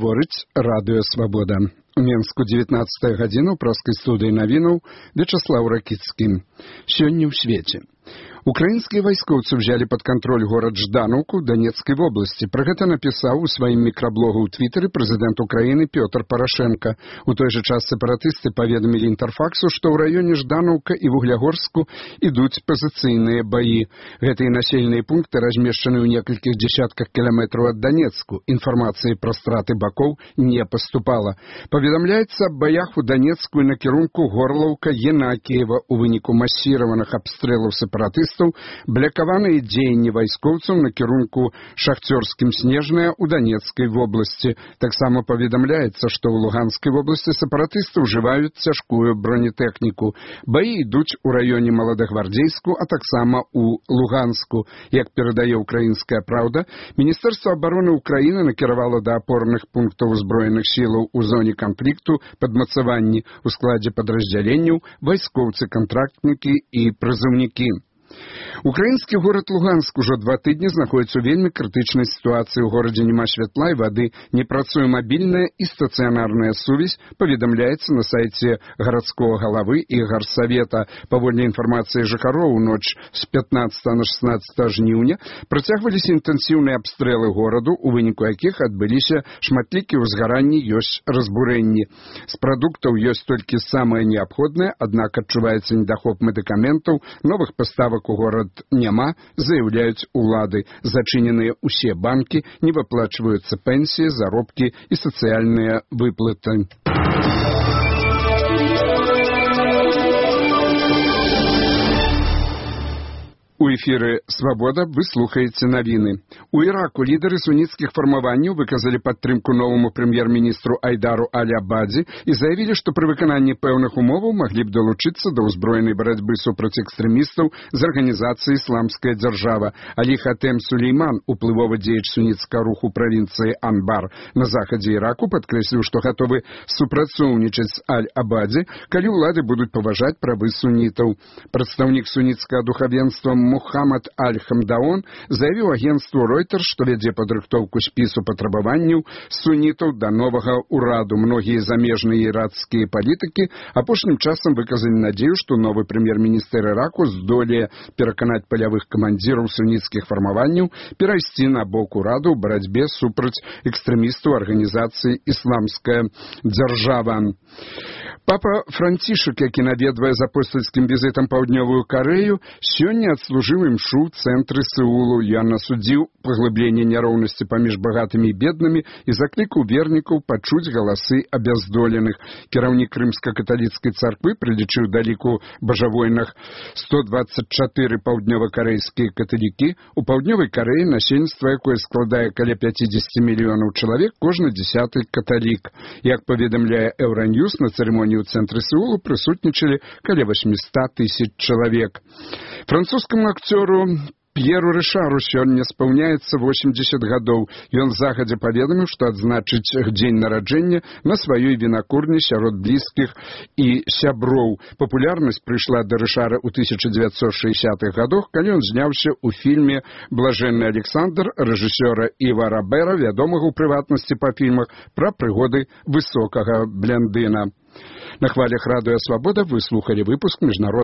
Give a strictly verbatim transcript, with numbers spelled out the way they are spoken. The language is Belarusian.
Гаворыць радыё «Свабода». У Менску дзевятнаццатая гадзіна ў праскай студыі навінаў Вячаслаў Ракіцкі. Сёння ў свеце. Украінскія вайскоўцы ўзялі пад кантроль горад Жданаўку Донецкай вобласці. Пра гэта напісаў у сваім мікраблогу ў Твітары прэзідэнт Украіны Пётр Парашенка. У той жа час сепаратысты паведамілі Інтарфаксу, што ў раёне Жданаўка і Вуглягорску ідуць пазіцыйныя баі. Гэтыя населеныя пункты размешчаны ў некалькіх дзесятках кіламетраў ад Донецку. Інфармацыі пра страты бакоў не паступала. Паведамляецца аб баях у Донецку і накірунку Горлаўка-Янакіева. У выніку масіраваных абстрэлаў сепаратыстаў блякаваныя дзеянні вайскоўцаў на кірунку Шахцёрскім Снежная ў Донецкай вобласці. Таксама паведамляецца, што ў Луганскай вобласці сепаратысты ўжываюць цяжкую бронетэхніку. Баі ідуць у раёне Маладагвардзейску, а таксама ў Луганску. Як перадае «Украінская праўда», Міністэрства абароны Украіны накіравала да апорных пунктаў узброеных сілаў у зоне канфлікту падмацаванні ў складзе падраздзяленняў вайскоўцы-кантрактнікі і прызыўнікі. Украінскі горад Луганск ужо два тыдні знаходіцца ў вельмі крытычнай сітуацыі. У горадзе няма святла і вады, не працуе мабільная і стацыянарная сувязь, паведамляецца на сайце гарадскога галавы і гарсавета. Паводле інфармацыі жыхароў, у ноч з пятнаццатага на шаснаццатае жніўня працягваліся інтэнсіўныя абстрэлы гораду, у выніку якіх адбыліся шматлікія ўзгаранні, ёсць разбурэнні. З прадуктаў ёсць толькі самае неабходнае, аднак адчуваецца недахоп медыкаментаў, новых паставак у горад няма, заяўляюць улады. Зачыненыя ўсе банкі, не выплачваюцца пенсіі, заробкі і сацыяльныя выплаты. У эфіры «Свабода» вы слухаеце навіны. У Іраку лідары суніцкіх фармаванняў выказалі падтрымку новаму прэм'ер-міністру Айдару Аль-Абадзі і заявілі, што пры выкананні пэўных умоваў маглі б далучыцца да ўзброенай барацьбы супраць экстрэмістаў з арганізацыі «Ісламская дзяржава». Алі Хатем Сулейман, уплывовы дзеяч суніцкага руху правінцыі Анбар на захадзе Іраку, падкрэсліў, што гатовы супрацоўнічаць з Аль-Абадзі, калі ўлады будуць паважаць правы сунітаў. Прадстаўнік суніцкага духавенства Мухаммад Аль-Хамдаон заявіў агенцтву Reuters, што вядзе падрыхтоўку спісу патрабаванняў сунітаў да новага ўраду. Многія замежныя іракскія палітыкі апошнім часам выказалі надзею, што новы прэм'ер-міністр Іраку здолее пераканаць палявых камандзіраў суніцкіх фармаванняў перайсці на бок ураду ў барацьбе супраць экстрэмістаў арганізацыі «Ісламская дзяржава». Папа Францішак, які наведвае з апостальскім візітам паўднёвую Карэю, сёння адслужыў імшу ў цэнтры Сеулу. Ён асудзіў паглыбленне няроўнасці паміж багатымі і беднымі і заклікаў вернікаў пачуць галасы абяздоленых. Кіраўнік рымска-каталіцкай царквы прылічыў да ліку бажавойных сто дваццаць чатыры паўднёва-карэйскія каталікі. У паўднёвай Карэі насельніцтва, якое складае каля пяцідзесяці мільёнаў чалавек, кожны дзясяты каталік. Як паведамляе Еўраньюс, на цырымоніі у цэнтры Сеулу прысутнічалі каля восьмісот тысяч чалавек. Французскаму акцёру П'еру Рышару сёння спаўняецца восемьдесят гадоў. Ён загадзя паведаміў, што адзначыць дзень нараджэння на сваёй вінакурні сярод блізкіх і сяброў. Папулярнасць прыйшла да Рышара ў тысяча дзевяцьсот шэсцідзятых гадах, калі ён зняўся ў фільме «Блажэнны Александр» рэжысёра Іва Рабера, вядомага ў прыватнасці па фільмах пра прыгоды высокага блондына. На хвалях радыё «Свабода» вы слухалі выпуск міжнароднага